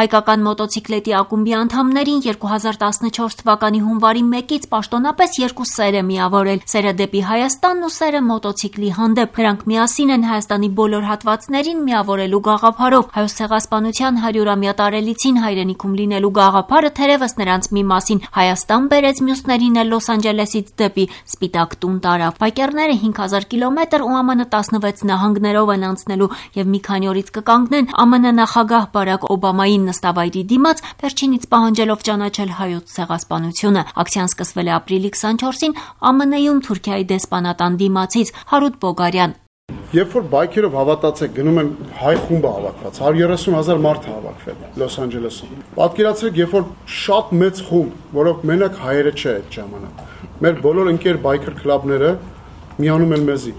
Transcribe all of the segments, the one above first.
Հայկական մոտոցիկլետի ակումբի անդամներին 2014 թվականի հունվարի 1-ից պաշտոնապես երկու սեր է միավորել՝ սերը դեպի Հայաստանն ու սերը մոտոցիկլի հանդեպ։ Նրանք միասին են Հայաստանի բոլոր հատվածներին միավորելու գաղափարով։ Հայոց ցեղասպանության 100-ամյա տարելիցին հայրենիքում լինելու գաղափարը թերևս նրանց մի մասին Հայաստան բերեց, մյուսներին էլ Լոս Անջելեսից դեպի Սպիտակ տուն տարավ։ Բայկերները 5000 կիլոմետր ու ԱՄՆ 16 նահանգներով են անցնելու եւ մի քանի օրից կկանգնեն ԱՄՆ նախագահ Բարակ Օբամայի նստավայրի դիմաց, վերջինից պահանջելով ճանաչել հայոց ցեղասպանությունը։ Ակցիան սկսվել է ապրիլի 24-ին ԱՄՆ-ում Թուրքիայի դեսպանատան դիմացից։ Հարութ Բոգարյան: Երբ որ բայքերով հավատացեք գնում են հայ խումբը հավաքված, 130,000 մարդ է հավաքվել Լոս Անջելեսում։ Պատկերացրեք, երբ որ շատ մեծ խումբ, որով մենակ հայերը չէ այդ ժամանակ, մեր բոլոր ընկեր բայքեր կլաբները միանում են մեզի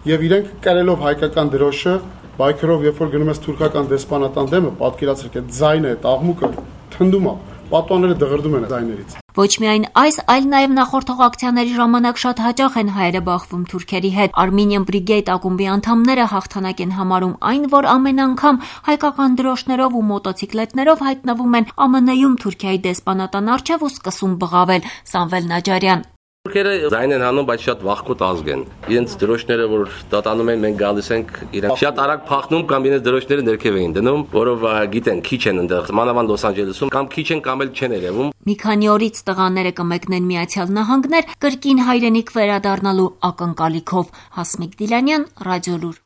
եւ իրենք կրելով հայկական դրոշը բայքերով երբ որ գնում ես թուրքական դեսպանատան դեմը, պատկերացրեք այդ ձայնը, այդ աղմուկը թնդում է, պատուանները դղրդում են ձայներից։ Ոչ միայն այս, այլ նաև նախորդող ակցիաների ժամանակ շատ հաճախ են հայերը բախվում թուրքերի հետ։ Armenian Brigade ակումբի անդամները հաղթանակ են համարում այն, որ ամեն անգամ հայկական դրոշներով ու մոտոցիկլետներով հայտնվում են ԱՄՆ-ում Թուրքիայի դեսպանատան առջև ու սկսում բղավել։ Սամվել Նաջարյան: Թուրքերը ձայն են հանում, բայց շատ վախկոտ ազգ են։ Իրենց դրոշները, որ դատանում են, մենք գալիս ենք, իրենք շատ արագ փախնում կամ իրենց դրոշները ներքև էին դնում, որով գիտեն, քիչ են այնտեղ, մանավանդ Լոս Անջելեսում, կամ քիչ են կամ էլ չեն երևում։ Մի քանի օրից տղաները կմեկնեն Միացյալ Նահանգներ կրկին հայրենիք վերադառնալու ակնկալիքով։ Հասմիկ Դիլանյան, Ռադիոլուր։